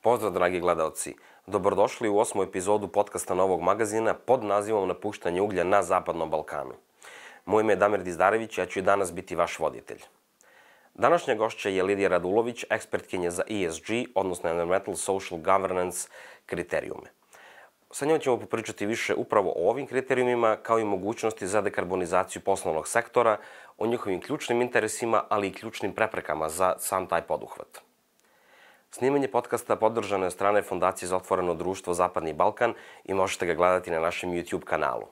Pozdrav, dragi gledaoci. Dobrodošli u 8. epizodu podcasta Novog magazina pod nazivom Napuštanje uglja na Zapadnom Balkanu. Moje ime je Damir Dizdarević, ja ću i danas biti vaš voditelj. Današnja gošća je Lidija Radulović, ekspertkinja za ESG, odnosno Environmental Social Governance kriterijume. Sa njom ćemo popričati više upravo o ovim kriterijumima, kao i mogućnosti za dekarbonizaciju poslovnog sektora, o njihovim ključnim interesima, ali i ključnim preprekama za sam taj poduhvat. Snimanje podcasta podržano je od strane Fondacije za otvoreno društvo Zapadni Balkan i možete ga gledati na našem YouTube kanalu.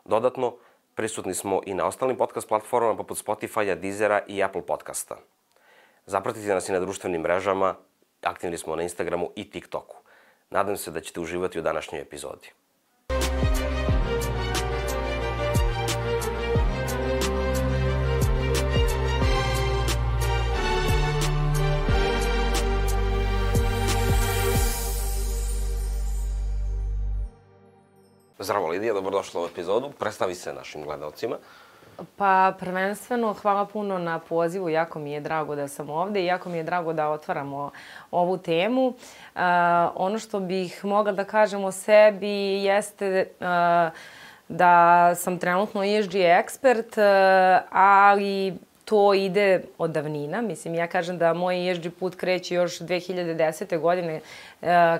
Dodatno, prisutni smo i na ostalim podcast platformama poput Spotify-a, Deezera i Apple podcasta. Zapratite nas i na društvenim mrežama, aktivni smo na Instagramu i TikToku. Nadam se da ćete uživati u današnjoj epizodi. Zdravo Lidija, dobrodošla u epizodu. Predstavi se našim gledalcima. Pa prvenstveno hvala puno na pozivu, jako mi je drago da sam ovde i jako mi je drago da otvaramo ovu temu. Ono što bih mogla da kažem o sebi jeste da sam trenutno ESG ekspert, ali to ide od davnina. Mislim, ja kažem da moj ESG put kreće još 2010. godine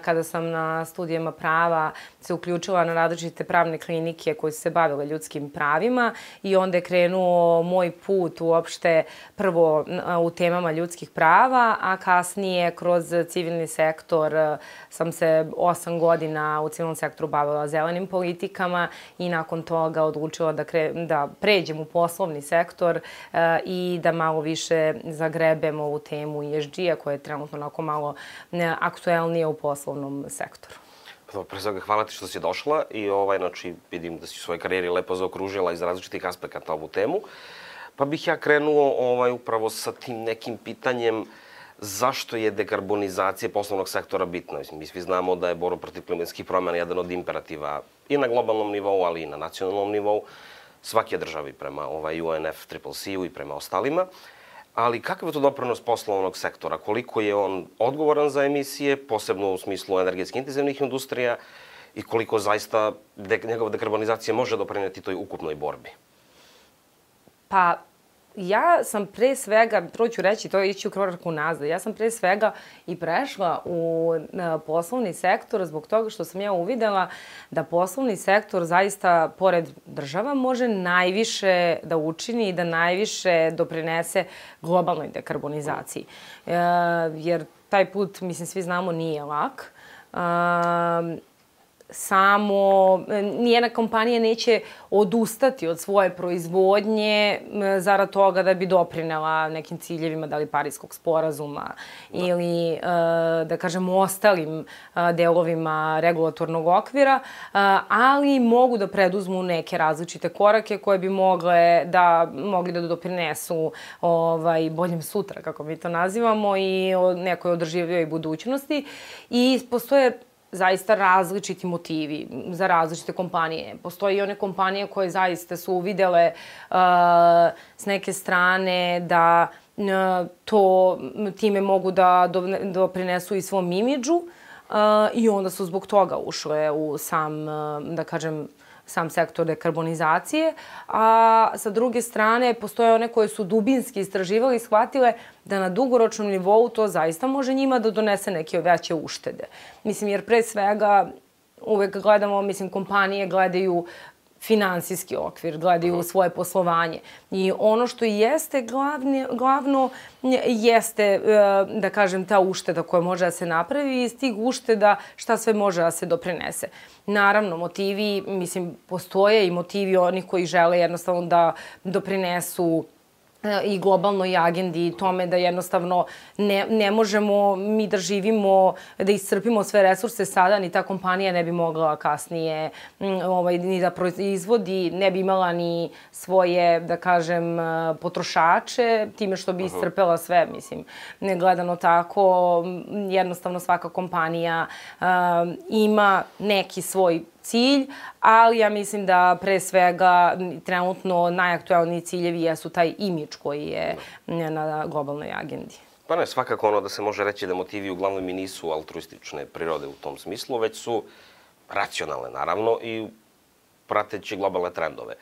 kada sam na studijama prava se uključila na različite pravne klinike koje su se bavile ljudskim pravima i onda je krenuo moj put uopšte prvo u temama ljudskih prava, a kasnije kroz civilni sektor sam se 8 godina u civilnom sektoru bavila zelenim politikama i nakon toga odlučila da pređem u poslovni sektor i da malo više zagrebem ovu temu ESG-a koja je trenutno onako malo aktuelnija u poslovnom sektoru. Pre svega, hvala ti što si došla i znači vidim da si u svojoj karijeri lepo zaokružila iz različitih aspekata ovu temu. Pa bih ja krenuo upravo sa tim nekim pitanjem zašto je dekarbonizacija poslovnog sektora bitna. Mi svi znamo da je borba protiv klimatskih promjena jedan od imperativa i na globalnom nivou, ali i na nacionalnom nivou svake države prema UNFCCC-u i prema ostalima. Ali kakav je to doprinos poslovnog sektora? Koliko je on odgovoran za emisije, posebno u smislu energetski intenzivnih industrija i koliko zaista njegova dekarbonizacija može doprineti toj ukupnoj borbi? Pa, ja sam pre svega, prvo ću reći, to je ići u korak unazad, ja sam pre svega i prešla u poslovni sektor zbog toga što sam ja uvidela da poslovni sektor zaista, pored država, može najviše da učini i da najviše doprinese globalnoj dekarbonizaciji. Jer taj put, mislim, svi znamo, nije lak. Nijedna kompanija neće odustati od svoje proizvodnje zarad toga da bi doprinela nekim ciljevima, da li Pariskog sporazuma ili, da kažem, ostalim delovima regulatornog okvira, ali mogu da preduzmu neke različite korake koje bi mogli da doprinesu boljem sutra, kako mi to nazivamo, i nekoj održivijoj budućnosti. I postoje zaista različiti motivi za različite kompanije. Postoje i one kompanije koje zaista su uvidele s neke strane da time mogu da doprinesu i svom imidžu i onda su zbog toga ušle u sam sektor dekarbonizacije, a sa druge strane postoje one koje su dubinski istraživali i shvatile da na dugoročnom nivou to zaista može njima da donese neke veće uštede. Mislim, jer pre svega uvek gledamo, kompanije gledaju finansijski okvir, gledaju svoje poslovanje. I ono što jeste glavno jeste, da kažem, ta ušteda koja može da se napravi i iz tih ušteda šta sve može da se doprinese. Naravno, motivi, postoje i motivi onih koji žele jednostavno da doprinesu i globalnoj agendi i tome da jednostavno ne možemo mi da živimo, da iscrpimo sve resurse sada, ni ta kompanija ne bi mogla kasnije ni da proizvodi, ne bi imala ni svoje, da kažem, potrošače, time što bi iscrpela sve, gledano tako, jednostavno svaka kompanija ima neki svoj cilj, ali ja mislim da pre svega trenutno najaktuelniji ciljevi jesu taj imidž koji je na globalnoj agendi. Pa ne, svakako ono da se može reći da motivi uglavnom i nisu altruistične prirode u tom smislu, već su racionalne, naravno, i prateći globalne trendove.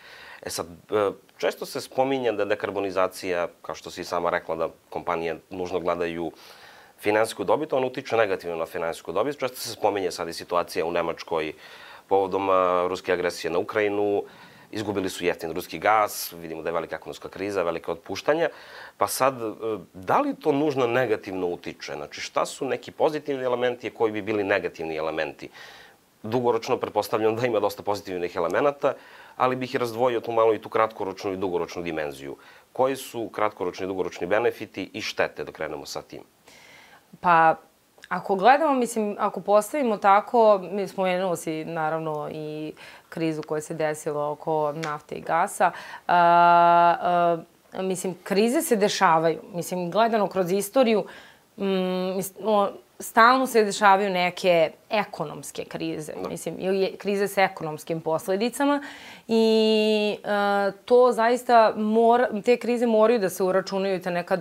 Sad, često se spominje da dekarbonizacija, kao što si sama rekla, da kompanije nužno gledaju finansijsku dobit, on utiče negativno na finansijsku dobit. Često se spominje sad i situacija u Nemačkoj povodom ruske agresije na Ukrajinu. Izgubili su jeftin ruski gas, vidimo da je velika ekonomska kriza, velike otpuštanja. Pa sad, da li to nužno negativno utiče? Znači, šta su neki pozitivni elementi i koji bi bili negativni elementi? Dugoročno, pretpostavljam da ima dosta pozitivnih elemenata, ali bih razdvojio tu malo i tu kratkoročnu i dugoročnu dimenziju. Koji su kratkoročni i dugoročni benefiti i štete, da krenemo sa tim? Pa, ako gledamo, mislim, ako postavimo tako, mi spomenuo si naravno i krizu koja se desila oko nafte i gasa, mislim, krize se dešavaju. Mislim, gledano kroz istoriju, stalno se dešavaju neke ekonomske krize, mislim, ili krize sa ekonomskim posledicama i to zaista te krize moraju da se uračunaju ta neka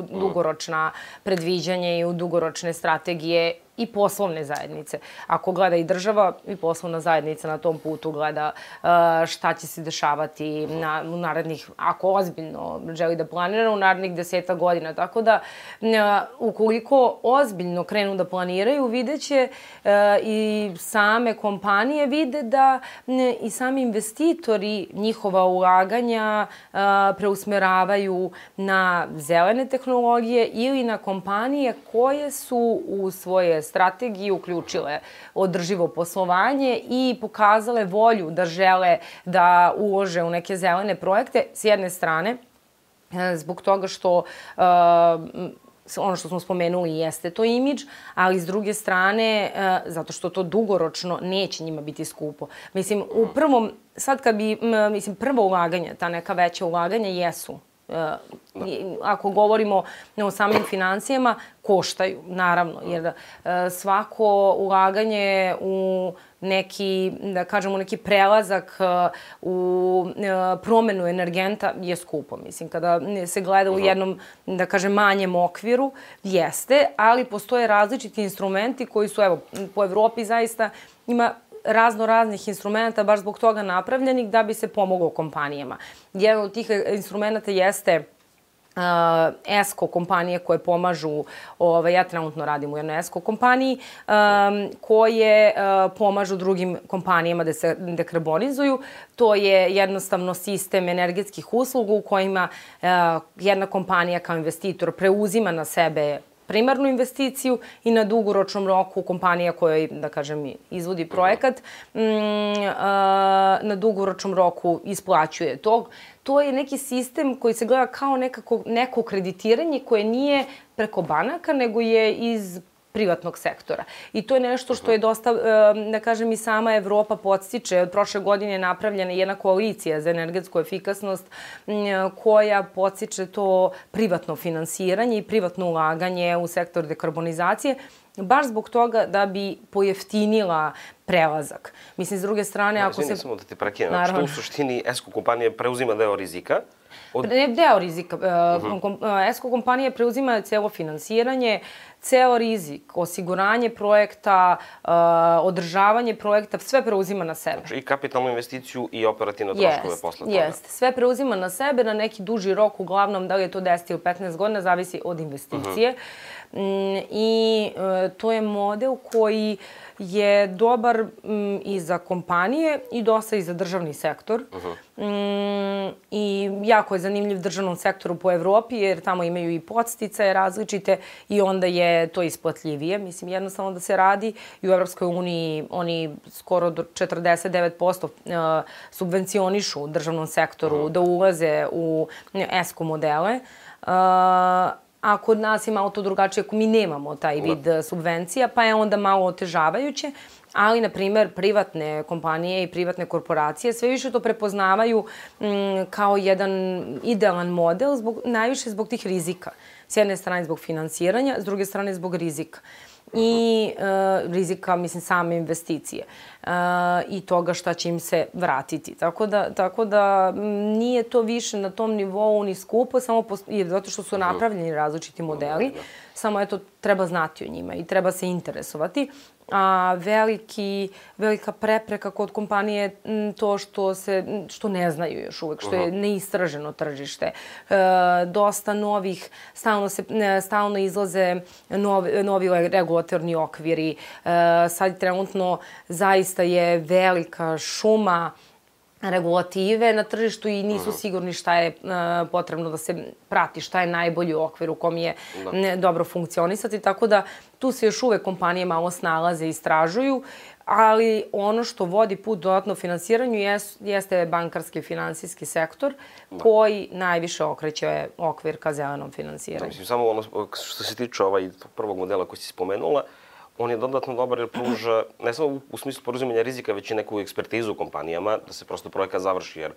dugoročna predviđanja i u dugoročne strategije i poslovne zajednice. Ako gleda i država i poslovna zajednica na tom putu gleda šta će se dešavati u narednih, ako ozbiljno želi da planira, u narednih 10 godina. Tako da, ukoliko ozbiljno krenu da planiraju, videće i same kompanije vide da i sami investitori njihova ulaganja preusmeravaju na zelene tehnologije ili na kompanije koje su u svoje strategije uključile održivo poslovanje i pokazale volju da žele da ulože u neke zelene projekte, s jedne strane, zbog toga što ono što smo spomenuli jeste to imidž, ali s druge strane, zato što to dugoročno neće njima biti skupo. Mislim, u prvom, sad kad bi, mislim, prvo ulaganje, ta neka veća ulaganja jesu, ako govorimo o samim financijama, koštaju, naravno, jer svako ulaganje u neki, da kažemo, neki prelazak u promenu energenta je skupo. Mislim, kada se gleda u jednom, da kažem, manjem okviru, jeste, ali postoje različiti instrumenti koji su, evo, po Evropi zaista ima raznih instrumenta, baš zbog toga napravljenih, da bi se pomoglo kompanijama. Jedan od tih instrumenta jeste ESCO kompanije koje pomažu, ja trenutno radim u jednoj ESCO kompaniji, koje pomažu drugim kompanijama da se dekarbonizuju. To je jednostavno sistem energetskih usluga u kojima jedna kompanija kao investitor preuzima na sebe primarnu investiciju i na dugoročnom roku kompanija koja, da kažem, izvodi projekat, na dugoročnom roku isplaćuje to. To je neki sistem koji se gleda kao neko kreditiranje koje nije preko banaka, nego je iz privatnog sektora. I to je nešto što je dosta, da kažem, i sama Evropa podstiče. Od prošle godine je napravljena jedna koalicija za energetsku efikasnost koja podstiče to privatno finansiranje i privatno ulaganje u sektor dekarbonizacije, baš zbog toga da bi pojeftinila prelazak. Mislim, s druge strane, ako se... Izvini, samo da te prekinem. Što u suštini ESCO kompanija preuzima deo rizika? Ne deo rizika. ESCO kompanija preuzima celo finansiranje, ceo rizik, osiguranje projekta, održavanje projekta, sve preuzima na sebe. Znači i kapitalnu investiciju i operativne troškove posle toga. Jeste, sve preuzima na sebe na neki duži rok, uglavnom da li je to 10 ili 15 godina, zavisi od investicije. I to je model koji je dobar i za kompanije i dosta i za državni sektor. I jako je zanimljiv državnom sektoru po Evropi jer tamo imaju i podsticaje različite i onda je to isplatljivije. Mislim, jednostavno da se radi i u Evropskoj uniji oni skoro do 49% subvencionišu u državnom sektoru da ulaze u ESCO modele. A kod nas je malo to drugačije ako mi nemamo taj vid subvencija, pa je onda malo otežavajuće. Ali, na primer, privatne kompanije i privatne korporacije sve više to prepoznavaju kao jedan idealan model, najviše zbog tih rizika. S jedne strane zbog finansiranja, s druge strane zbog rizika. i rizika, mislim, same investicije i toga šta će im se vratiti. Tako da nije to više na tom nivou ni skupo, samo zato što su napravljeni različiti modeli, samo eto, treba znati o njima i treba se interesovati. A velika prepreka kod kompanije je to što ne znaju još uvek, što je neistraženo tržište. Dosta novih, stalno izlaze novi regulatorni okviri. Sad trenutno zaista je velika šuma regulative na tržištu i nisu sigurni šta je potrebno da se prati, šta je najbolji okvir u kom je dobro funkcionisati. Tako da tu se još uvek kompanije malo snalaze i istražuju, ali ono što vodi put dodatno finansiranju jeste bankarski i finansijski sektor koji najviše okreće okvir ka zelenom finansiranju. Mislim, samo ono što se tiče prvog modela koji si spomenula, on je dodatno dobar jer pruža, ne samo u smislu poruzimanja rizika, već i neku ekspertizu kompanijama, da se prosto projekat završi, jer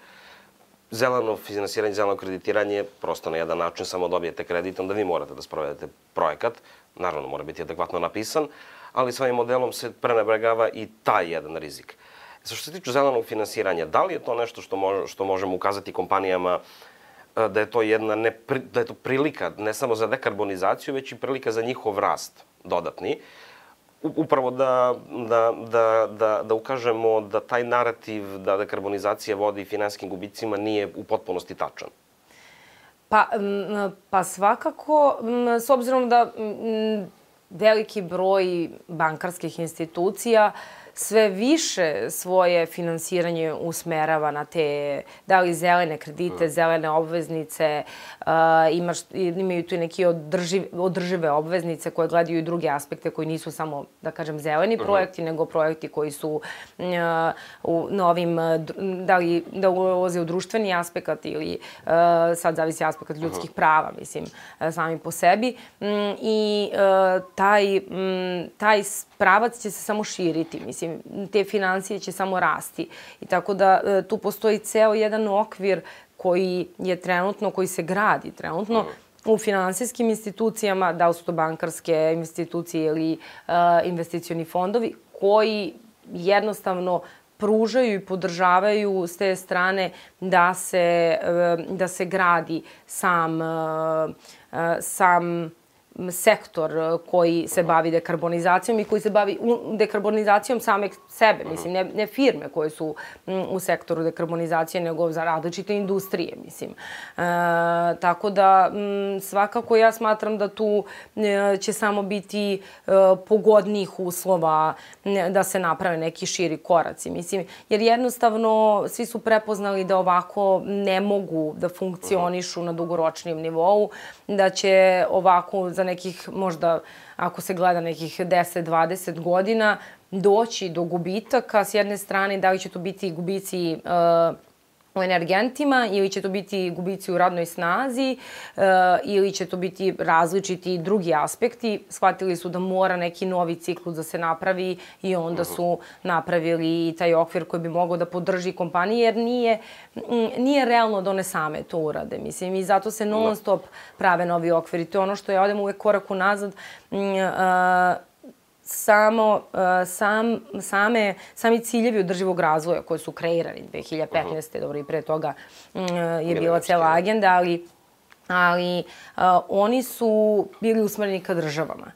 zeleno finansiranje, zeleno kreditiranje, prosto na jedan način samo dobijete kredit, onda vi morate da sprovedete projekat, naravno mora biti adekvatno napisan, ali s ovim modelom se prenebregava i taj jedan rizik. Što se tiče zelenog finansiranja, da li je to nešto što možemo ukazati kompanijama da je to da je to prilika ne samo za dekarbonizaciju, već i prilika za njihov rast dodatni, upravo da ukažemo da taj narativ da dekarbonizacija vodi finansijskim gubicima nije u potpunosti tačan? Pa svakako, s obzirom da veliki broj bankarskih institucija sve više svoje finansiranje usmerava na te, da li zelene kredite, zelene obveznice, imaju tu i neke održive obveznice koje gledaju i druge aspekte koji nisu samo, da kažem, zeleni projekti, nego projekti koji su na ovim, da ulaze u društveni aspekt ili sad zavisi aspekt ljudskih prava, mislim, sami po sebi. I taj pravac će se samo širiti, mislim, te financije će samo rasti. I tako da tu postoji ceo jedan okvir koji se gradi trenutno u finansijskim institucijama, da li su to bankarske institucije ili investicioni fondovi, koji jednostavno pružaju i podržavaju s te strane da se gradi sam sektor koji se bavi dekarbonizacijom i koji se bavi dekarbonizacijom same sebe, mislim, ne firme koje su u sektoru dekarbonizacije, nego za različite industrije, mislim. Tako da, svakako ja smatram da tu će samo biti pogodnijih uslova da se naprave neki širi koraci, mislim, jer jednostavno svi su prepoznali da ovako ne mogu da funkcionišu na dugoročnijem nivou, da će ovako za nekih, možda ako se gleda nekih 10-20 godina, doći do gubitaka. S jedne strane, da li će to biti gubici u energentima ili će to biti gubici u radnoj snazi ili će to biti različiti drugi aspekti. Shvatili su da mora neki novi ciklus da se napravi i onda su napravili taj okvir koji bi mogao da podrži kompanije, jer nije realno da one same to urade. Mislim, i zato se non stop prave novi okviri. To je ono što ja odem uvek korak unazad. Sami ciljevi održivog razvoja koji su kreirani 2015. Dobro, i pre toga je bila cela agenda, ali oni su bili usmereni ka državama.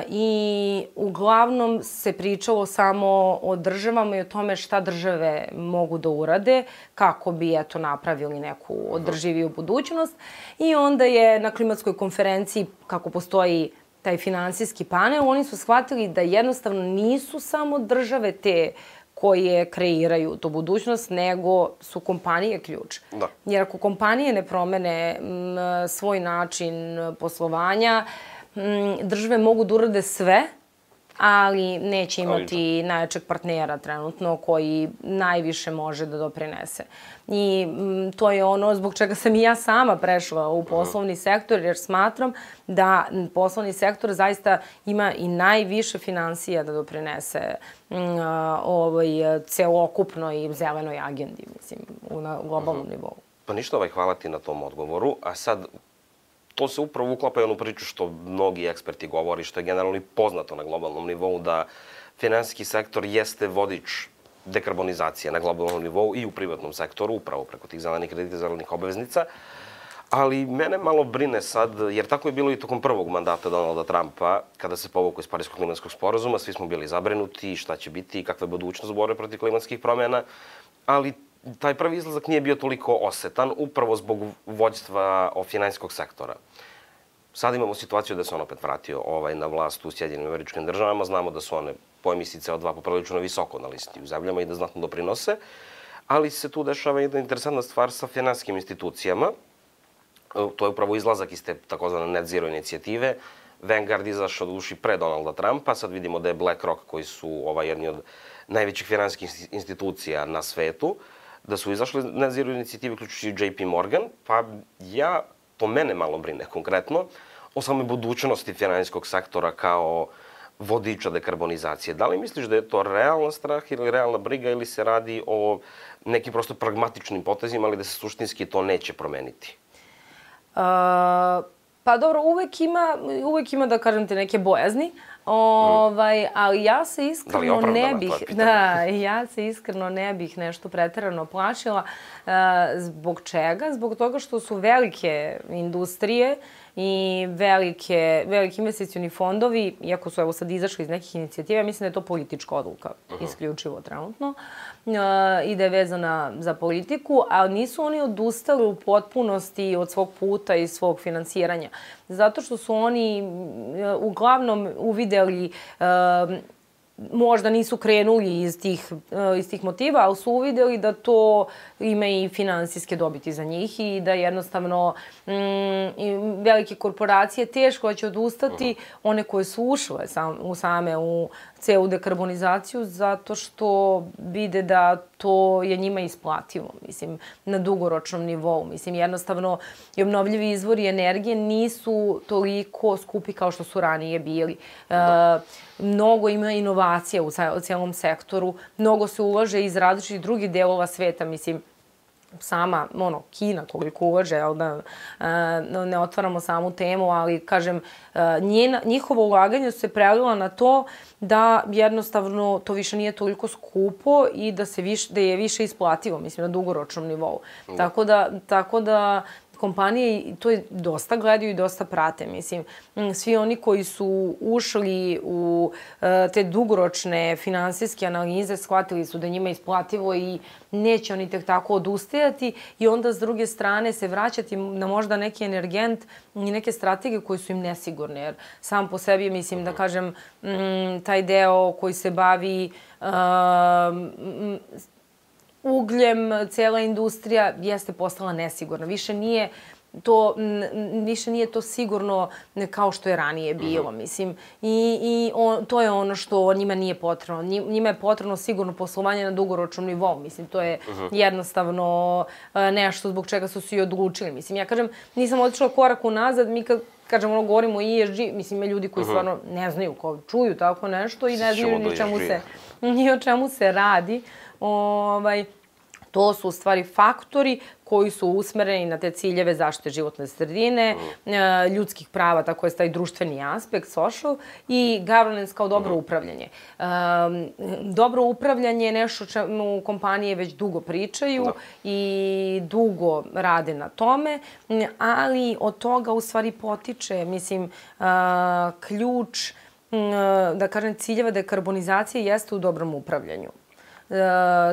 I uglavnom se pričalo samo o državama i o tome šta države mogu da urade, kako bi napravili neku održiviju budućnost. I onda je na klimatskoj konferenciji, kako postoji taj finansijski panel, oni su shvatili da jednostavno nisu samo države te koje kreiraju tu budućnost, nego su kompanije ključ. Jer ako kompanije ne promene svoj način poslovanja, države mogu da urade sve, ali neće imati najjačeg partnera trenutno koji najviše može da doprinese. I to je ono zbog čega sam i ja sama prešla u poslovni sektor, jer smatram da poslovni sektor zaista ima i najviše finansija da doprinese celokupnoj zelenoj agendi, mislim, na globalnom nivou. Pa ništa, hvala ti na tom odgovoru. A sad, to se upravo uklapa i onu priču što mnogi eksperti govori, što je generalno i poznato na globalnom nivou, da finansijski sektor jeste vodič dekarbonizacije na globalnom nivou i u privatnom sektoru, upravo preko tih zelenih kredita, zelenih obveznica. Ali mene malo brine sad, jer tako je bilo i tokom prvog mandata Donalda Trumpa, kada se povukao iz Pariskog klimatskog sporazuma, svi smo bili zabrinuti šta će biti i kakva je budućnost borbe protiv klimatskih promjena, ali taj prvi izlazak nije bio toliko osetan, upravo zbog vođstva finansijskog sektora. Sad imamo situaciju da se on opet vratio na vlast u Sjedinjenim Američkim Državama. Znamo da su one po emisiji CO2 poprilično visoko na listi u zemljama i da znatno doprinose, ali se tu dešava jedna interesantna stvar sa finansijskim institucijama. To je upravo izlazak iz te takozvane net zero inicijative. Vanguard izašao do duši pre Donalda Trumpa, sad vidimo da je BlackRock, koji su jedni od najvećih finansijskih institucija na svetu, da su izašli net zero inicijative, uključujući JP Morgan, pa to mene malo brine konkretno, o samoj budućnosti finansijskog sektora kao vodiča dekarbonizacije. Da li misliš da je to realan strah ili realna briga ili se radi o nekim prosto pragmatičnim potezima, ali da se suštinski to neće promeniti? Pa dobro, uvek ima da kažem te neke bojazni, ali ja se iskreno ne bih nešto preterano plašila. Zbog čega? Zbog toga što su velike industrije i veliki investicioni fondovi, iako su sad izašli iz nekih inicijativa, mislim da je to politička odluka, isključivo trenutno, i da je vezana za politiku, ali nisu oni odustali u potpunosti od svog puta i svog finansiranja. Zato što su oni uglavnom uvideli, možda nisu krenuli iz tih motiva, ali su uvideli da to ima i finansijske dobiti za njih i da jednostavno velike korporacije teško će odustati, one koje su ušle same u celu dekarbonizaciju, zato što vide da to je njima isplativo, mislim, na dugoročnom nivou. Mislim, jednostavno, i obnovljivi izvori energije nisu toliko skupi kao što su ranije bili. Mnogo ima inovacija u cijelom sektoru, mnogo se ulaže iz različitih drugih delova sveta, mislim, sama, Kina koliko ulaže, da ne otvaramo samu temu, ali kažem, njihovo ulaganje su se prelila na to da jednostavno to više nije toliko skupo i da je više isplativo, mislim, na dugoročnom nivou. Tako da kompanije to dosta gledaju i dosta prate. Mislim, svi oni koji su ušli u te dugoročne finansijske analize shvatili su da njima isplativo i neće oni tek tako odustajati i onda s druge strane se vraćati na možda neki energent i neke strategije koje su im nesigurne. Jer sam po sebi, mislim da kažem, taj deo koji se bavi ugljem, cijela industrija jeste postala nesigurna. Više nije to sigurno kao što je ranije bilo, mislim. I to je ono što njima nije potrebno. Njima je potrebno sigurno poslovanje na dugoročnom nivou. Mislim, to je jednostavno nešto zbog čega su se i odlučili. Mislim, ja kažem, nisam otišla korak unazad, mi kad kažem, govorimo o ESG, mislim, ima ljudi koji stvarno ne znaju, čuju tako nešto i ne znaju ni o čemu se radi. To su u stvari faktori koji su usmereni na te ciljeve zaštite životne sredine, ljudskih prava, tako je taj društveni aspekt, social, i governance kao dobro upravljanje. Dobro upravljanje je nešto čemu kompanije već dugo pričaju i dugo rade na tome, ali od toga u stvari potiče, mislim, ključ, da kažem, ciljeva dekarbonizacije jeste u dobrom upravljanju.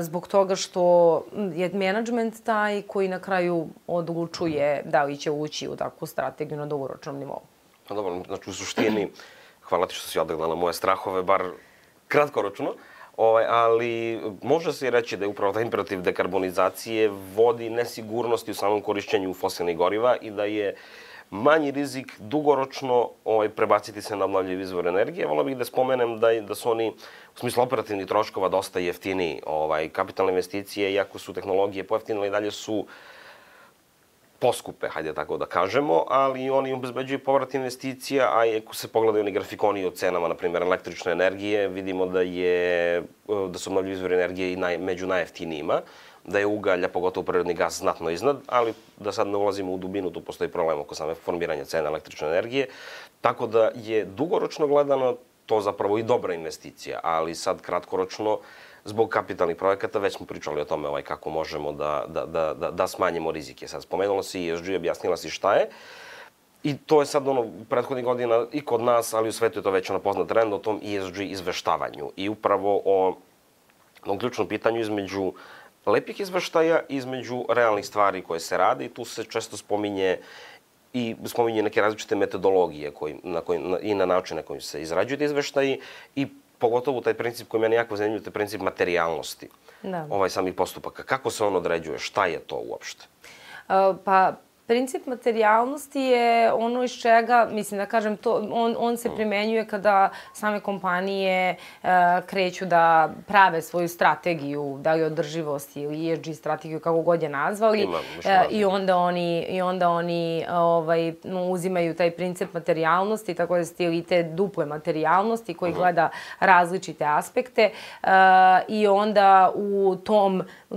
Zbog toga što je menadžment taj koji na kraju odlučuje da li će ući u takvu strategiju na dugoročnom nivou. Pa dobro, znači u suštini, hvala ti što si odagla na moje strahove, bar kratkoročno, ali može se i reći da je upravo taj imperativ dekarbonizacije vodi nesigurnosti u samom korišćenju fosilnih goriva i da je manji rizik dugoročno prebaciti se na obnovljivi izvor energije. Volio bih da spomenem da su oni u smislu operativnih troškova dosta jeftiniji. Kapitalne investicije, iako su tehnologije pojeftinile, i dalje su poskupe, hajde tako da kažemo, ali oni obezbeđuju povrat investicija, a ako se pogledaju oni grafikoni o cenama, na primjer, električne energije, vidimo da su obnovljivi izvori energije i među najjeftinijima. da je ugalj, a pogotovo prirodni gas, znatno iznad, ali da sad ne ulazimo u dubinu, tu postoji problem oko same formiranja cena električne energije. Tako da je dugoročno gledano to zapravo i dobra investicija, ali sad kratkoročno, zbog kapitalnih projekata, već smo pričali o tome kako možemo da smanjimo rizike. Sad spomenula si ESG, objasnila si šta je. I to je sad prethodnih godina i kod nas, ali u svetu je to već poznat trend o tom ESG izveštavanju. I upravo o ključnom pitanju između lepih izveštaja, između realnih stvari koje se rade i tu se često spominje neke različite metodologije i na način na kojim se izrađuju izveštaji i pogotovo taj princip koji meni jako zanimljiv, to je princip materijalnosti samih postupaka. Kako se on određuje? Šta je to uopšte? Pa, princip materijalnosti je ono iz čega, mislim da kažem, on se primenjuje kada same kompanije kreću da prave svoju strategiju, da li održivosti ili ESG strategiju, kako god je nazvali, i onda oni uzimaju taj princip materijalnosti, tako da stili te duple materijalnosti koji gleda različite aspekte i onda u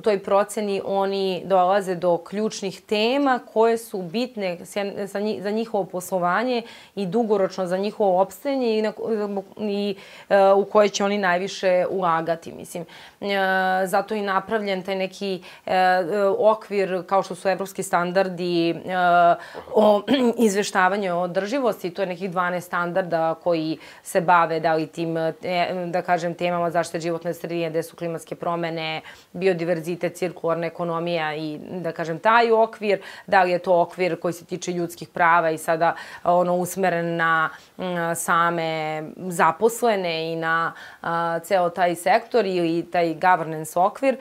toj proceni oni dolaze do ključnih tema koje su bitne za njihovo poslovanje i dugoročno za njihovo opstajanje i u koje će oni najviše ulagati. Mislim, zato je napravljen taj neki okvir kao što su evropski standardi o izveštavanju o održivosti. To je nekih 12 standarda koji se bave da li tim, da kažem, temama zaštite životne sredine, gde su klimatske promene, biodiverzitet, cirkularna ekonomija i, da kažem, taj okvir, da li je to okvir koji se tiče ljudskih prava i sada usmeren na same zaposlene i na ceo taj sektor ili taj governance okvir.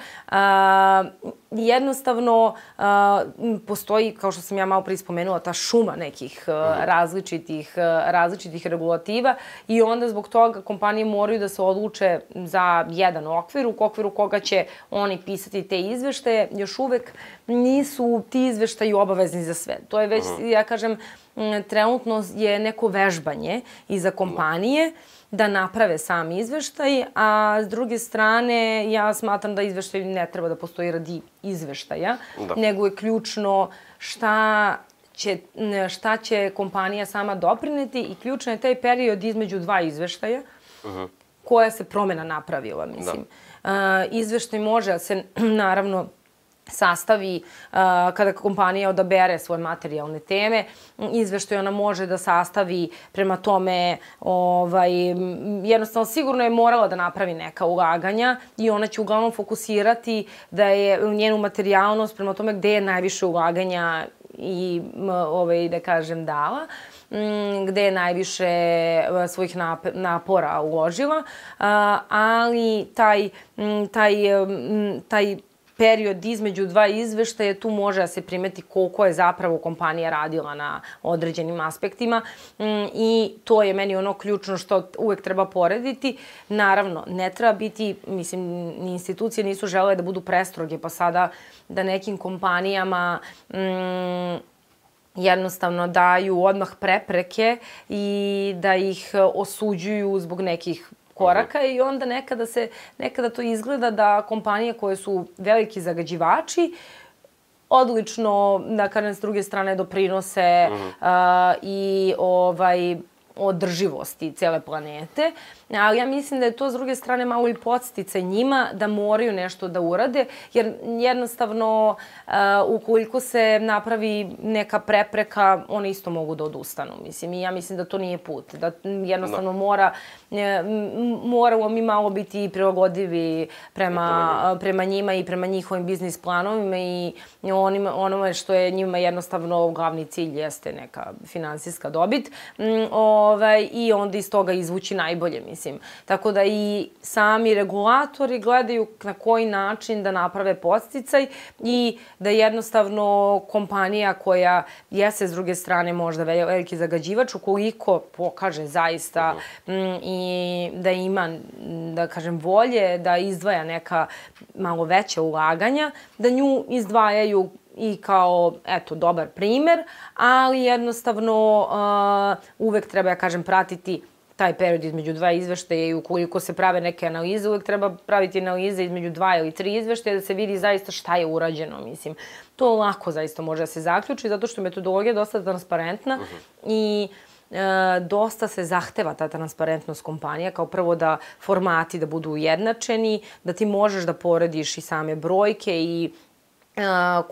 Jednostavno postoji, kao što sam ja malo prije spomenula, ta šuma nekih različitih regulativa i onda zbog toga kompanije moraju da se odluče za jedan okvir, u okviru koga će oni pisati te izveštaje. Još uvek nisu ti izveštaji obavezni za sve. To je već, ja kažem, trenutno je neko vežbanje i za kompanije da naprave sam izveštaj, a s druge strane ja smatram da izveštaj ne treba da postoji radi izveštaja, nego je ključno šta će kompanija sama doprineti i ključno je taj period između dva izveštaja koja se promena napravila, mislim. Izveštaj može da se, naravno, sastavi kada kompanija odabere svoje materijalne teme. Izveštaj ona može da sastavi prema tome, jednostavno sigurno je morala da napravi neka ulaganja i ona će uglavnom fokusirati da je njenu materijalnost prema tome gde je najviše ulaganja i, da kažem, dala, gde je najviše svojih napora uložila, ali taj period između dva izveštaja, tu može da se primeti koliko je zapravo kompanija radila na određenim aspektima i to je meni ono ključno što uvek treba porediti. Naravno, ne treba biti, mislim, ni institucije nisu želele da budu prestroge, pa sada da nekim kompanijama jednostavno daju odmah prepreke i da ih osuđuju zbog nekih koraka i onda nekada to izgleda da kompanije koje su veliki zagađivači odlično, da kažem, s druge strane doprinose i održivosti cele planete. Ali ja mislim da je to s druge strane malo i podsticaj njima da moraju nešto da urade, jer jednostavno ukoliko se napravi neka prepreka, one isto mogu da odustanu. Mislim, i ja mislim da to nije put. Da jednostavno moramo mi malo biti prilagodivi prema njima i prema njihovim biznis planovima i onome što je njima jednostavno glavni cilj jeste neka finansijska dobit i onda iz toga izvući najbolje, mislim. Tako da i sami regulatori gledaju na koji način da naprave podsticaj i da jednostavno kompanija koja jeste s druge strane možda veliki zagađivač, ukoliko pokaže zaista i da ima, da kažem, volje da izdvaja neka malo veća ulaganja, da nju izdvajaju i kao, eto, dobar primer, ali jednostavno uvek treba, ja kažem, pratiti taj period između dva izveštaja i ukoliko se prave neke analize, uvek treba praviti analize između 2 ili 3 izveštaja da se vidi zaista šta je urađeno, mislim. To lako zaista može da se zaključi, zato što je metodologija dosta transparentna i dosta se zahteva ta transparentnost kompanija, kao prvo da formati da budu ujednačeni, da ti možeš da porediš i same brojke i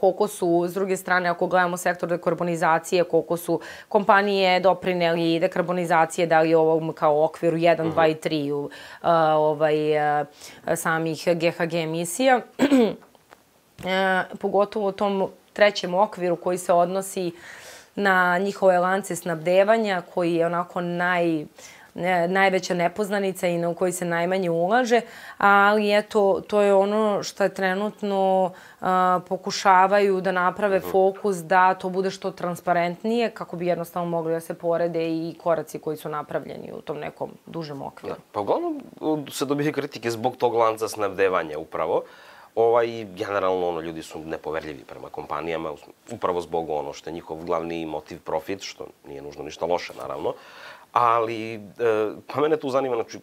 koliko su, s druge strane, ako gledamo sektor dekarbonizacije, koliko su kompanije doprineli dekarbonizacije, da li ovom kao okviru 1, 2 i 3 samih GHG emisija. Pogotovo u tom trećem okviru koji se odnosi na njihove lance snabdevanja, koji je onako najveća nepoznanica i na koji se najmanje ulaže, ali eto, to je ono što trenutno pokušavaju da naprave fokus da to bude što transparentnije, kako bi jednostavno mogli da se porede i koraci koji su napravljeni u tom nekom dužem okviru. Pa uglavnom se dobije kritike zbog tog lanca snabdevanja upravo. Generalno, ljudi su nepoverljivi prema kompanijama, upravo zbog ono što je njihov glavni motiv profit, što nije nužno ništa loše, naravno. Ali, pa mene tu zanima, znači,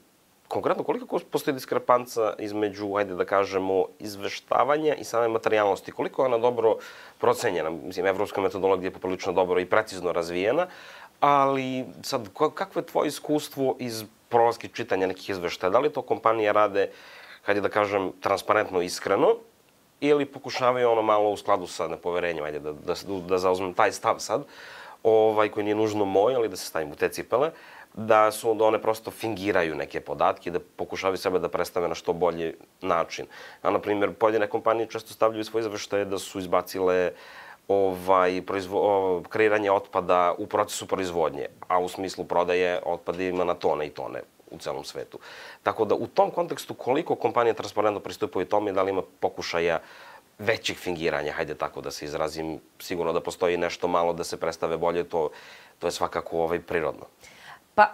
konkretno koliko postoji diskrepanca između, hajde da kažemo, izveštavanja i same materijalnosti? Koliko je ona dobro procenjena? Mislim, evropska metodologija je poprilično dobro i precizno razvijena, ali sad, kakvo je tvoje iskustvo iz prolaska čitanja nekih izveštaja? Da li to kompanije rade, hajde da kažem, transparentno, iskreno, ili pokušavaju ono malo u skladu sa nepoverenjem, hajde da zauzmem taj stav sad, koji nije nužno moj, ali da se stavim u te cipele, da one prosto fingiraju neke podatke i da pokušavaju sebe da predstave na što bolji način. Na primjer, pojedine kompanije često stavljaju svoje izveštaje da su izbacile kreiranje otpada u procesu proizvodnje, a u smislu prodaje otpada ima na tone i tone u celom svetu. Tako da u tom kontekstu koliko kompanije transparentno pristupaju tome i da li ima pokušaja većih fingiranja, hajde tako da se izrazim, sigurno da postoji nešto malo da se predstave bolje, to je svakako prirodno. Pa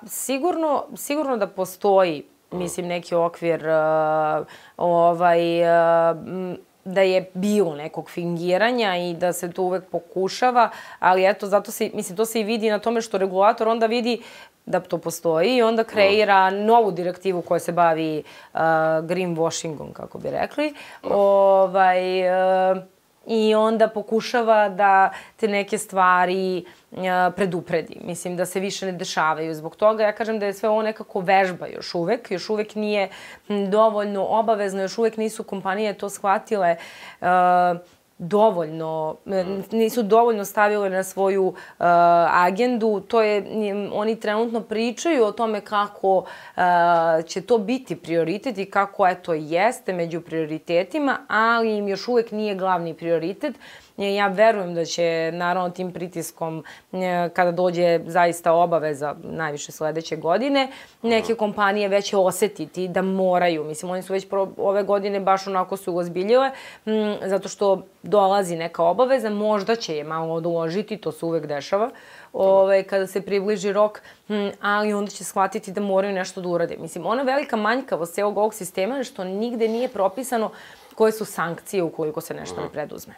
sigurno da postoji, mislim, neki okvir da je bilo nekog fingiranja i da se to uvek pokušava, ali eto, zato se, mislim, to se i vidi na tome što regulator onda vidi da to postoji i onda kreira novu direktivu koja se bavi greenwashingom, kako bi rekli. I onda pokušava da te neke stvari predupredi. Mislim, da se više ne dešavaju. Zbog toga ja kažem da je sve ovo nekako vežba još uvek nije dovoljno obavezno, još uvek nisu kompanije to shvatile dovoljno, nisu dovoljno stavile na svoju agendu. Oni trenutno pričaju o tome kako će to biti prioritet i kako jeste među prioritetima, ali im još uvek nije glavni prioritet. Ja verujem da će, naravno, tim pritiskom, kada dođe zaista obaveza, najviše sledeće godine, neke kompanije već osetiti da moraju. Mislim, oni su već ove godine baš onako su ozbiljile, zato što dolazi neka obaveza, možda će je malo odložiti, to se uvek dešava, kada se približi rok, ali onda će shvatiti da moraju nešto da urade. Mislim, ona velika manjkavost celog ovog sistema je što nigde nije propisano koje su sankcije ukoliko se nešto ne preduzme.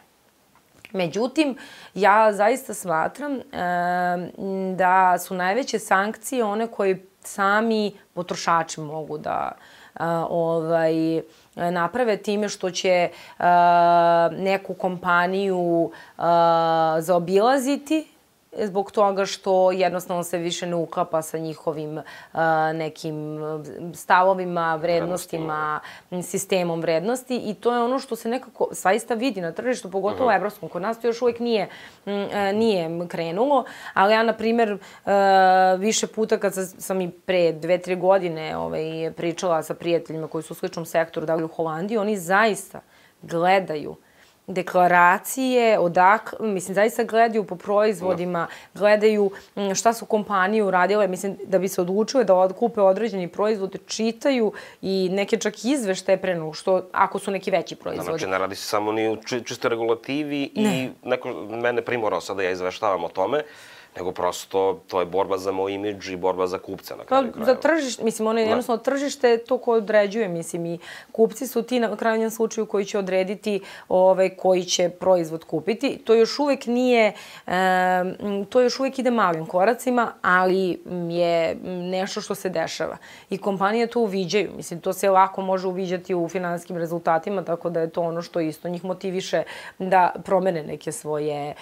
Međutim, ja zaista smatram da su najveće sankcije one koje sami potrošači mogu da naprave time što će neku kompaniju zaobilaziti zbog toga što jednostavno se više ne uklapa sa njihovim nekim stavovima, vrednostima, sistemom vrednosti i to je ono što se nekako zaista vidi na tržištu, pogotovo evropskom. Kod nas to još uvek nije krenulo, ali ja, na primer, više puta kad sam i pre 2-3 godine pričala sa prijateljima koji su u sličnom sektoru, da li u Holandiji, oni zaista gledaju deklaracije, mislim, zaista gledaju po proizvodima, gledaju šta su kompanije uradile, mislim, da bi se odlučile da kupe određeni proizvod, čitaju i neke čak izveštaje pre nego što, ako su neki veći proizvodi. Znači, ne radi se samo ni u čistoj regulativi i neko mene primorao sad da ja izveštavam o tome, nego prosto to je borba za moj imidž i borba za kupca na kraju krajeva. Za tržište, mislim, ono je jednostavno tržište je to koje određuje, mislim, i kupci su ti na krajnjem slučaju koji će odrediti koji će proizvod kupiti. To još uvek nije, to još uvek ide malim koracima, ali je nešto što se dešava. I kompanije to uviđaju, mislim, to se lako može uviđati u finansijskim rezultatima, tako da je to ono što isto njih motiviše da promene neke svoje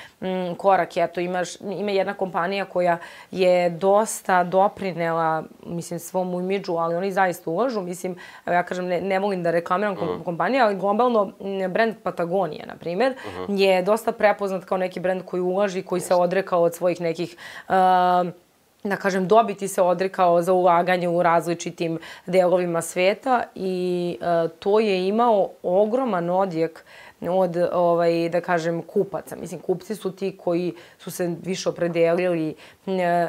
korake. Eto, ima jedna kompanija koja je dosta doprinela, mislim, svom imidžu, ali oni zaista ulažu. Mislim, ja kažem, ne volim da reklamiram kompanije, ali globalno brend Patagonija, na primjer, je dosta prepoznat kao neki brend koji ulaži, koji se odrekao od svojih nekih da kažem, dobiti se odrekao za ulaganje u različitim delovima sveta i to je imao ogroman odjek od, da kažem, kupaca. Mislim, kupci su ti koji su se više opredelili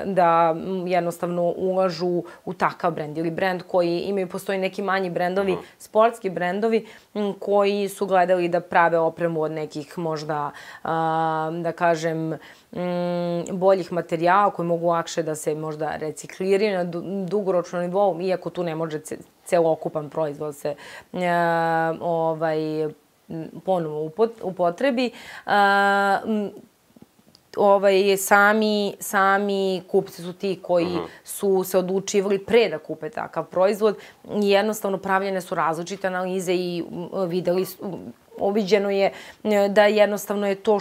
da jednostavno ulažu u takav brend ili brend koji imaju, postoji neki manji brendovi, sportski brendovi koji su gledali da prave opremu od nekih možda, da kažem, boljih materijala koji mogu lakše da se možda recikliraju na dugoročnom nivou, iako tu ne može celokupan proizvod se ponovo upotrebi. Sami kupci su ti koji su se odlučivali pre da kupe takav proizvod i jednostavno pravljene su različite analize i uviđeno je da jednostavno je to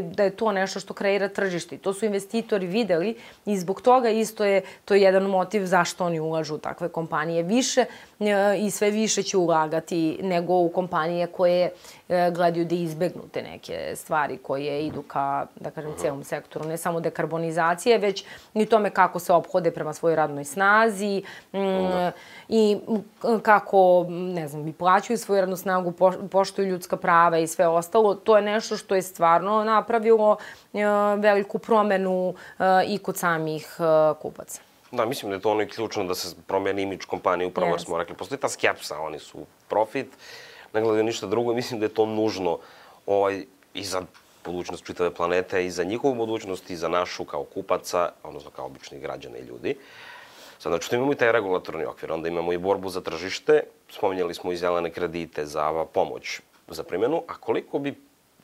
da je to nešto što kreira tržište. To su investitori videli i zbog toga isto je to jedan motiv zašto oni ulažu u takve kompanije više i sve više će ulagati nego u kompanije koje gledaju da izbegnu te neke stvari koje idu ka, da kažem, celom sektoru. Ne samo dekarbonizacije, već i tome kako se ophode prema svojoj radnoj snazi i kako, ne znam, i plaćaju svoju radnu snagu, poštuju ljudska prava i sve ostalo. To je nešto što je stvarno napravilo veliku promenu i kod samih kupaca. Da, mislim da je to ono i ključno da se promeni imidž kompanije, upravo jer smo rekli, postoji ta skepsa, oni su profit, ne gledaju ništa drugo i mislim da je to nužno i za budućnost čitave planete, i za njihovu budućnost, i za našu kao kupaca, odnosno kao običnih građana i ljudi. Sad, znači, imamo i taj regulatorni okvir, onda imamo i borbu za tržište, spominjali smo i zelene kredite za pomoć za primjenu, a koliko bi,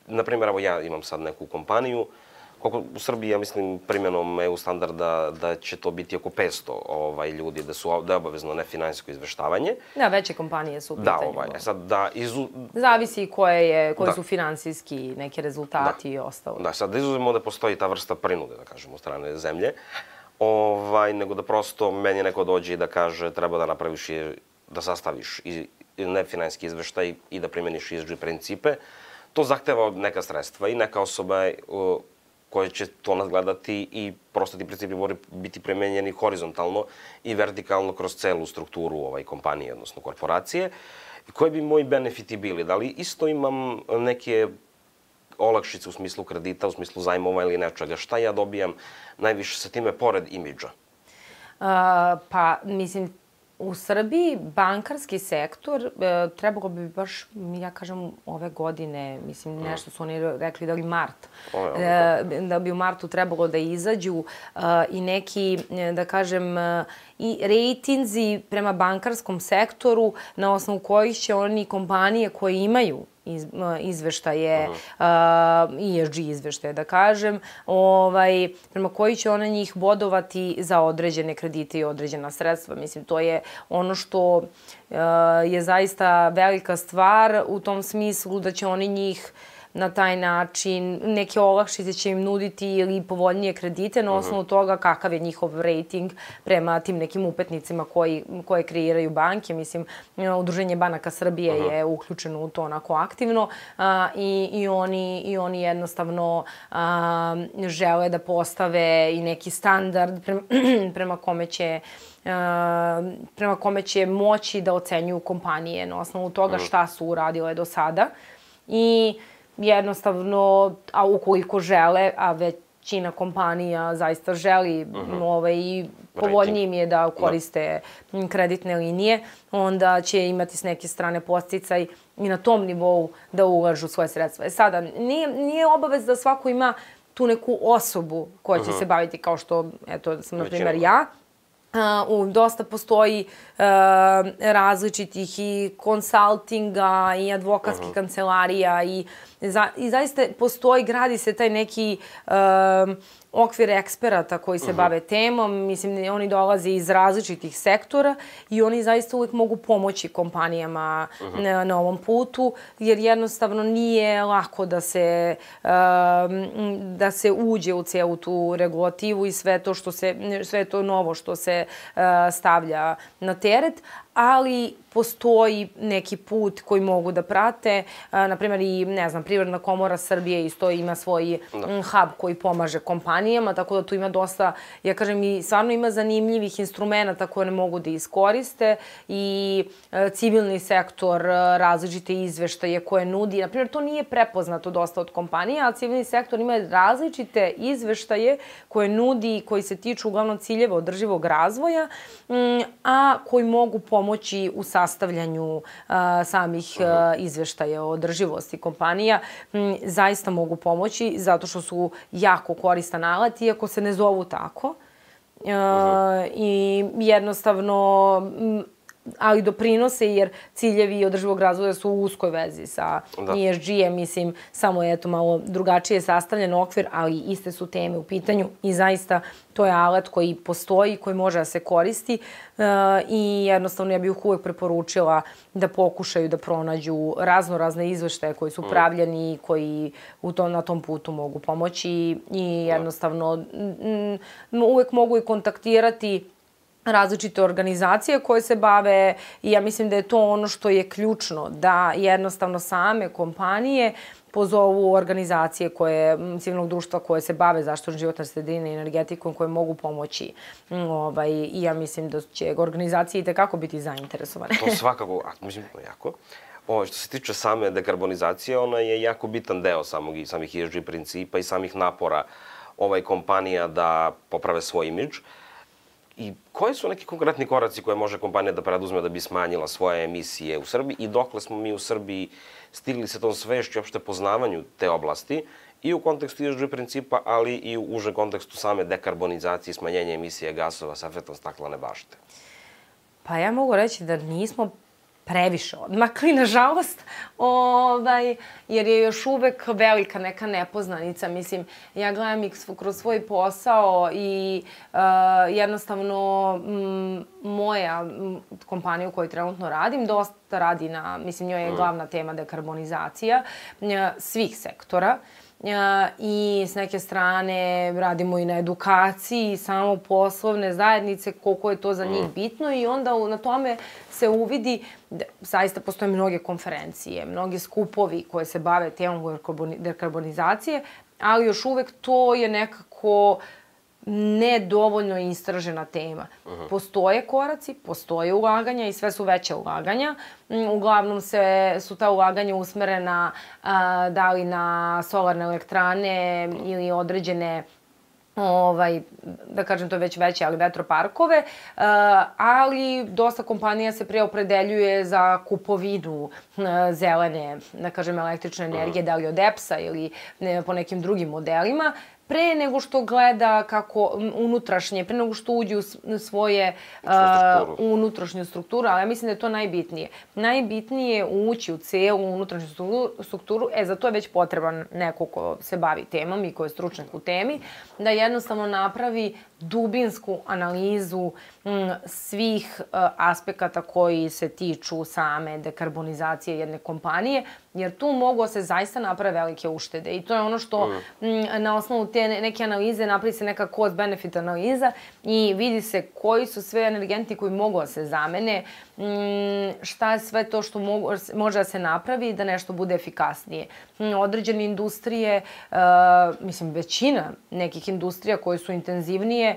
na primjer, evo ja imam sad neku kompaniju, koliko u Srbiji, ja mislim, primjenom EU standarda da će to biti oko 500 ljudi, da je obavezno nefinansijsko izveštavanje. Da, veće kompanije su u pitanju. Da, zavisi koji su finansijski neki rezultati i ostalo. Da, sad da izuzemo da postoji ta vrsta prinude, da kažemo, od strane zemlje, nego da prosto meni neko dođe i da kaže treba da napraviš da sastaviš i nefinansijski izveštaj i da primjeniš ESG principe. To zahteva neka sredstva i neka osoba koje će to nadgledati i prosto ti principi moraju biti primenjeni horizontalno i vertikalno kroz celu strukturu kompanije, odnosno korporacije. Koji bi moji benefiti bili? Da li isto imam neke olakšice u smislu kredita, u smislu zajmova ili nečega? Šta ja dobijam najviše sa time pored imidža? Pa, mislim, u Srbiji bankarski sektor trebalo bi baš, ja kažem, ove godine, mislim, nešto su oni rekli da li mart, da bi u martu trebalo da izađu i neki, da kažem, i rejtinzi prema bankarskom sektoru na osnovu kojih će oni kompanije koje imaju izveštaje, ESG izveštaje, da kažem, prema koji će one njih bodovati za određene kredite i određena sredstva. Mislim, to je ono što je zaista velika stvar u tom smislu da će oni njih na taj način, neke olakšice će im nuditi ili povoljnije kredite na osnovu toga kakav je njihov rating prema tim nekim upetnicima koje kreiraju banke. Mislim, Udruženje banaka Srbije je uključeno u to onako aktivno i oni jednostavno žele da postave i neki standard prema kome će moći da ocenjuju kompanije na osnovu toga šta su uradile do sada. I jednostavno, a ukoliko žele, a većina kompanija zaista želi i povoljnije im je da koriste kreditne linije, onda će imati s neke strane podsticaj i na tom nivou da ulažu svoje sredstva. Sada, nije obavez da svako ima tu neku osobu koja će se baviti kao što, eto, sam, na primjer, ja. Dosta postoji različitih i konsaltinga i advokatskih kancelarija i zaista postoji, gradi se taj neki okvir eksperata koji se bave temom. Mislim, oni dolaze iz različitih sektora i oni zaista uvijek mogu pomoći kompanijama na ovom putu, jer jednostavno nije lako da se uđe u celu tu regulativu i sve to novo što se stavlja na teret, ali postoji neki put koji mogu da prate. Naprimjer, i, ne znam, Privredna komora Srbije isto ima svoj hub koji pomaže kompanijama, tako da tu ima dosta, ja kažem, i stvarno ima zanimljivih instrumenta koje ne mogu da iskoriste i civilni sektor, različite izveštaje koje nudi. Naprimjer, to nije prepoznato dosta od kompanija, ali civilni sektor ima različite izveštaje koje nudi i koji se tiču uglavnom ciljeva održivog razvoja, a koji mogu pomoći u sastavljanju samih izveštaja o održivosti kompanija. Zaista mogu pomoći zato što su jako koristan alat, iako se ne zovu tako. I jednostavno, ali doprinose jer ciljevi održivog razvoja su u uskoj vezi sa ESG-em, mislim, samo je eto malo drugačije sastavljen okvir, ali iste su teme u pitanju i zaista to je alat koji postoji, koji može da se koristi i jednostavno ja bih uvek preporučila da pokušaju da pronađu razne izveštaje koji su pravljeni i koji na tom putu mogu pomoći i jednostavno uvek mogu i kontaktirati različite organizacije koje se bave i ja mislim da je to ono što je ključno, da jednostavno same kompanije pozovu organizacije civilnog društva koje se bave zaštitom životne sredine i energetikom koje mogu pomoći. I ja mislim da će organizacije itekako biti zainteresovane. To svakako, mislim, jako. Što se tiče same dekarbonizacije, ona je jako bitan deo samih ESG principa i samih napora kompanija da poprave svoj imidž. I koji su neki konkretni koraci koje može kompanija da preduzme da bi smanjila svoje emisije u Srbiji i dokle smo mi u Srbiji stigli sa tom svešću i opšte poznavanju te oblasti i u kontekstu ESG principa, ali i u užem kontekstu same dekarbonizacije i smanjenja emisije gasova sa efektom staklene bašte? Pa ja mogu reći da nismo previše odmakli, nažalost, jer je još uvek velika neka nepoznanica. Mislim, ja gledam ih kroz svoj posao i jednostavno moja kompanija u kojoj trenutno radim dosta radi mislim, njoj je glavna tema dekarbonizacija svih sektora. I s neke strane radimo i na edukaciji samo poslovne zajednice, koliko je to za njih bitno i onda na tome se uvidi, zaista postoje mnoge konferencije, mnogi skupovi koje se bave temom dekarbonizacije, ali još uvek to je nekako nedovoljno istražena tema. Postoje koraci, postoje ulaganja i sve su veće ulaganja. Uglavnom su ta ulaganja usmerena da li na solarne elektrane ili određene da kažem to već veće, ali vetroparkove, ali dosta kompanija se preopredeljuje za kupovinu zelene, da kažem, električne energije, da li od EPS-a ili po nekim drugim modelima, pre nego što gleda kako unutrašnje, pre nego što uđe u svoje unutrašnju strukturu, ali ja mislim da je to najbitnije. Najbitnije je ući u celu unutrašnju strukturu, za to je već potreban neko ko se bavi temom i ko je stručnjak u temi, da jednostavno napravi dubinsku analizu svih aspekata koji se tiču same dekarbonizacije jedne kompanije, jer tu mogu se zaista naprave velike uštede. I to je ono što na osnovu te neke analize napravi se neka cost-benefit analiza i vidi se koji su sve energenti koji mogu da se zamene, šta je sve to što može da se napravi da nešto bude efikasnije. Određene industrije, mislim većina nekih industrija koje su intenzivnije,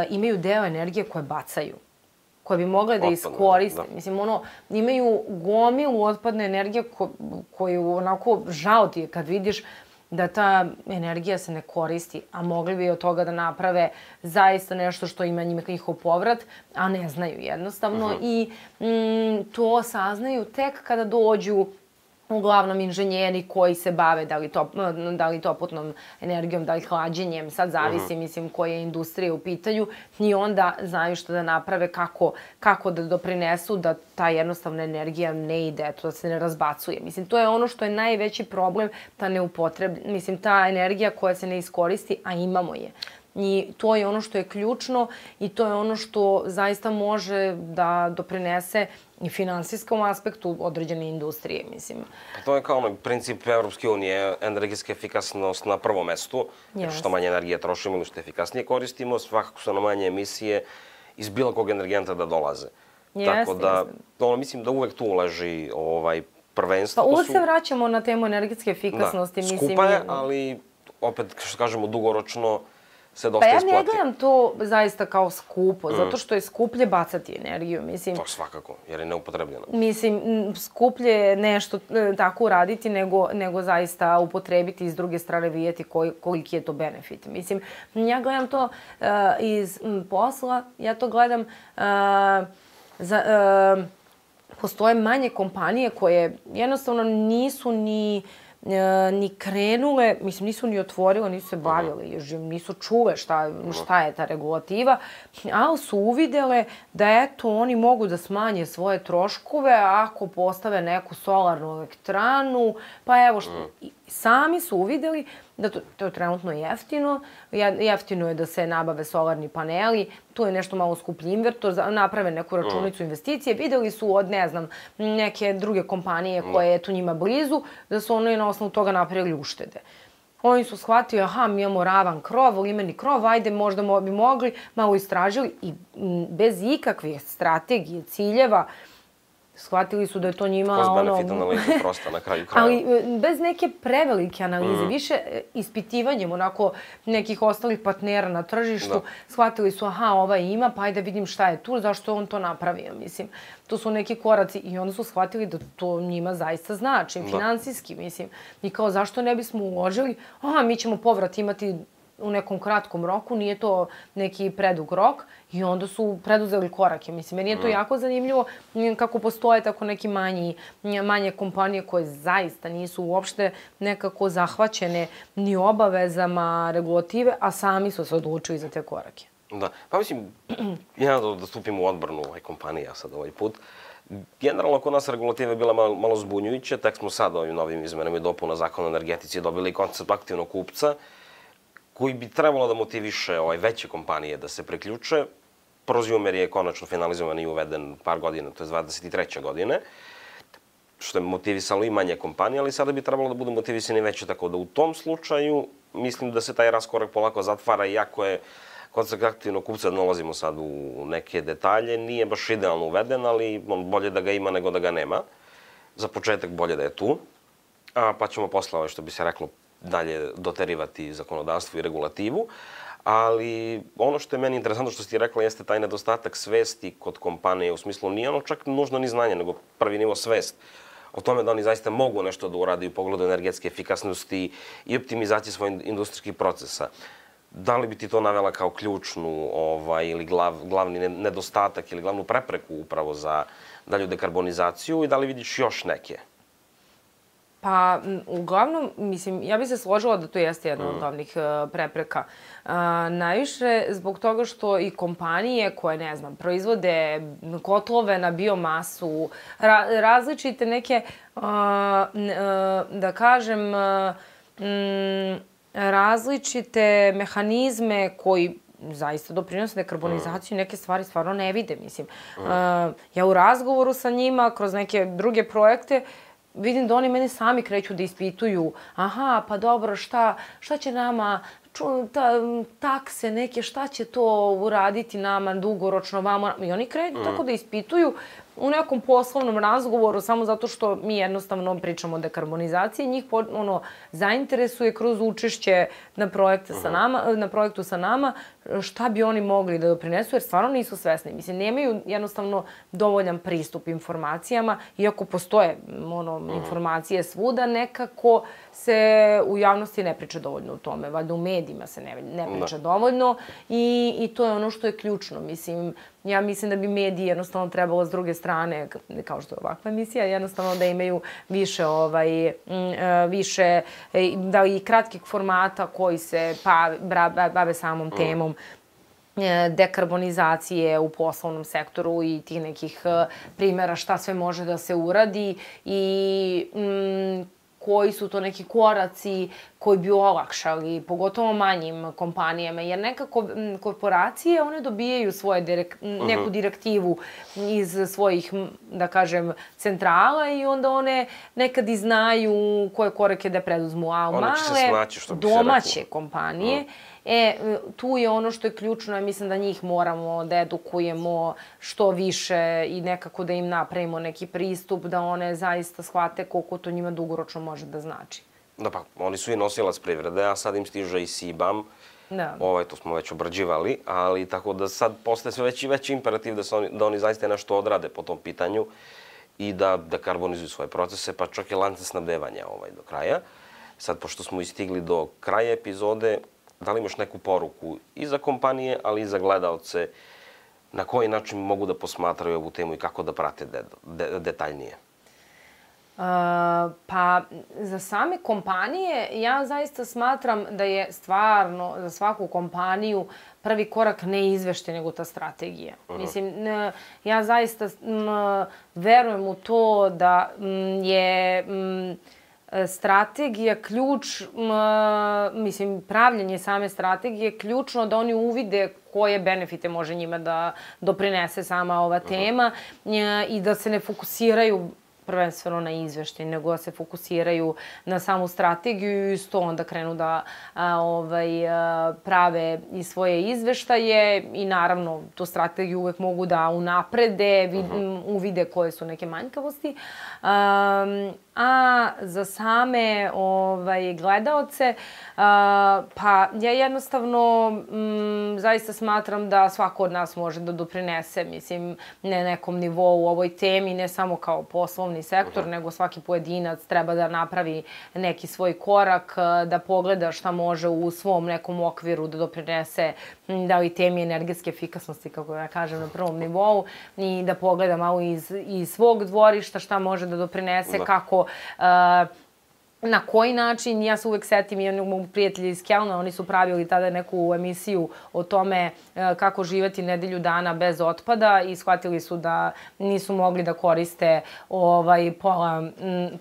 imaju deo energije koje bacaju, koje bi mogle da iskoriste. Mislim, imaju gomilu otpadne energije koju onako žao ti je kad vidiš da ta energija se ne koristi, a mogli bi od toga da naprave zaista nešto što ima njihov povrat, a ne znaju jednostavno. I to saznaju tek kada dođu uglavnom inženjeri koji se bave da li toplotnom energijom, da li hlađenjem, sad zavisi, mislim, koje industrije u pitanju i onda znaju što da naprave, kako da doprinesu da ta jednostavna energija ne ide, da se ne razbacuje. Mislim, to je ono što je najveći problem, ta energija koja se ne iskoristi, a imamo je. I to je ono što je ključno i to je ono što zaista može da doprinese i finansijskom aspektu određene industrije, mislim. To je kao onaj princip Evropske unije, energetska efikasnost na prvom mestu. Što manje energije trošimo ili što efikasnije koristimo, svakako su na manje emisije iz bilo kog energenta da dolaze. Tako da, mislim da uvek tu leži prvenstvo. Pa uvek se vraćamo na temu energetske efikasnosti. Da, skupa je, ali opet, što kažemo, dugoročno se dosta isplati. Pa ja ne gledam to zaista kao skupo, zato što je skuplje bacati energiju, mislim. To svakako, jer je neupotrebljeno. Mislim, skuplje je nešto tako uraditi nego zaista upotrebiti i s druge strane vidjeti koliki je to benefit. Mislim, ja gledam to iz posla, ja to gledam postoje manje kompanije koje jednostavno nisu ni krenule, mislim, nisu ni otvorile, nisu se bavile, nisu čule šta je ta regulativa, ali su uvidele da eto, oni mogu da smanje svoje troškove ako postave neku solarnu elektranu, pa evo što, sami su uvideli da to je trenutno jeftino, jeftino je da se nabave solarni paneli, tu je nešto malo skuplji invertor, naprave neku računicu investicije, videli su od, ne znam, neke druge kompanije koje je tu njima blizu, da su oni na osnovu toga napravili uštede. Oni su shvatili, aha, mi imamo ravan krov, limeni krov, ajde, možda bi mogli, malo istražili i bez ikakvih strategije, ciljeva, shvatili su da je to njima Cost benefit analiza prosta na kraju kraja. Ali bez neke prevelike analize, više ispitivanjem onako nekih ostalih partnera na tržištu, shvatili su, aha, ovaj ima, pa ajde vidim šta je tu, zašto je on to napravio, mislim. To su neki koraci i onda su shvatili da to njima zaista znači, finansijski, mislim. I kao, zašto ne bismo uložili, aha, mi ćemo povrat imati u nekom kratkom roku, nije to neki predug rok i onda su preduzeli korake. Mislim, meni je to jako zanimljivo kako postoje tako neki manje kompanije koje zaista nisu uopšte nekako zahvaćene ni obavezama regulative, a sami su se odlučili za te korake. Da, pa mislim, ja da stupim u odbranu kompanija sad ovaj put. Generalno, kod nas regulativa je bila malo zbunjujuća, tek smo sad ovim novim izmenama i dopuna zakona o energetici dobili koncept aktivnog kupca, koji bi trebalo da motiviše veće kompanije da se priključe. Proziumer je konačno finalizovan i uveden par godina, to je 23. godine, što je motivisalo i manje kompanije, ali sada bi trebalo da budu motivisani veće, tako da u tom slučaju mislim da se taj raskorak polako zatvara, iako je koncept aktivnog kupca, da nalazimo sad u neke detalje, nije baš idealno uveden, ali bolje da ga ima nego da ga nema. Za početak bolje da je tu, pa ćemo posle, što bi se reklo, dalje doterivati zakonodavstvo i regulativu, ali ono što je meni interesantno što si ti rekla jeste taj nedostatak svesti kod kompanije, u smislu nije ono čak nužno ni znanje, nego prvi nivo svest o tome da oni zaista mogu nešto da uradi u pogledu energetske efikasnosti i optimizacije svojih industrijskih procesa. Da li bi ti to navela kao ključnu ili glavni nedostatak ili glavnu prepreku upravo za dalju dekarbonizaciju i da li vidiš još neke? Pa, uglavnom, mislim, ja bih se složila da to jeste jedna od glavnih prepreka. Najviše zbog toga što i kompanije koje, ne znam, proizvode kotlove na biomasu, različite neke, da kažem, različite mehanizme koji zaista doprinose dekarbonizaciju, neke stvari stvarno ne vide, mislim. Ja u razgovoru sa njima, kroz neke druge projekte, vidim da oni mene sami kreću da ispituju, aha, pa dobro, šta će nama, takse neke, šta će to uraditi nama dugoročno, vamo, i oni kreću tako da ispituju u nekom poslovnom razgovoru, samo zato što mi jednostavno pričamo o dekarbonizaciji, njih zainteresuje kroz učešće na projektu sa nama, šta bi oni mogli da doprinesu, jer stvarno nisu svesni. Mislim, nemaju jednostavno dovoljan pristup informacijama, iako postoje informacije svuda, nekako se u javnosti ne priča dovoljno o tome. Valjda u medijima se ne priča dovoljno i to je ono što je ključno. Mislim, ja mislim da bi mediji jednostavno trebalo s druge strane, kao što je ovakva emisija, jednostavno da imaju više, da i kratkih formata koji se bave samom temom dekarbonizacije u poslovnom sektoru i tih nekih primjera šta sve može da se uradi i koji su to neki koraci koji bi olakšali, pogotovo manjim kompanijama, jer nekako korporacije, one dobijaju neku direktivu iz svojih, da kažem, centrala i onda one nekad i znaju koje korake da preduzmu, a male domaće kompanije, tu je ono što je ključno, mislim da njih moramo da edukujemo što više i nekako da im napravimo neki pristup, da one zaista shvate koliko to njima dugoročno može da znači. Da pa, oni su i nosilac privrede, a sad im stiže i CBAM. To smo već obrađivali, ali tako da sad postaje sve veći i veći imperativ da oni zaista nešto odrade po tom pitanju i da dekarbonizuju svoje procese, pa čak i lance snabdevanja do kraja. Sad, pošto smo istigli do kraja epizode, da li imaš neku poruku i za kompanije, ali i za gledaoce, na koji način mogu da posmatraju ovu temu i kako da prate detaljnije? Pa, za same kompanije, ja zaista smatram da je stvarno za svaku kompaniju prvi korak ne izveštaj, nego ta strategija. Mislim, ja zaista verujem u to da je strategija ključ, mislim, pravljenje same strategije ključno da oni uvide koje benefite može njima da doprinese sama ova tema i da se ne fokusiraju prvenstveno na izveštaj, nego da se fokusiraju na samu strategiju i isto onda krenu da prave i svoje izveštaje i naravno tu strategiju uvek mogu da unaprede, uvide koje su neke manjkavosti. A za same gledaoce, pa ja jednostavno zaista smatram da svako od nas može da doprinese, mislim, na nekom nivou u ovoj temi, ne samo kao poslovni sektor, nego svaki pojedinac treba da napravi neki svoj korak, da pogleda šta može u svom nekom okviru da doprinese da li temi energetske efikasnosti, kako ja kažem, na prvom nivou i da pogleda malo iz svog dvorišta šta može da doprinese, kako na koji način. Ja se uvek setim i onog prijatelja iz Kelna, oni su pravili tada neku emisiju o tome kako živeti nedelju dana bez otpada i shvatili su da nisu mogli da koriste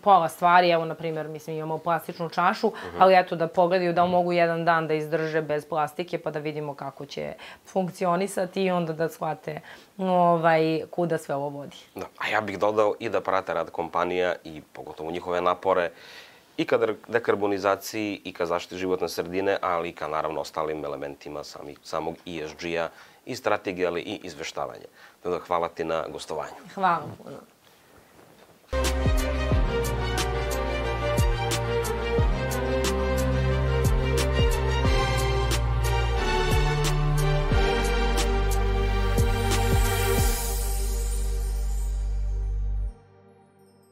pola stvari. Evo, na primjer, mislim, imamo plastičnu čašu, ali eto da pogledaju da mogu jedan dan da izdrže bez plastike pa da vidimo kako će funkcionisati i onda da shvate kuda sve ovo vodi. Da, a ja bih dodao i da prate rad kompanija i pogotovo njihove napore i ka dekarbonizaciji i ka zaštiti životne sredine, ali i ka naravno ostalim elementima samog ESG-a i strategije, ali i izveštavanja. Hvala ti na gostovanju. Hvala puno.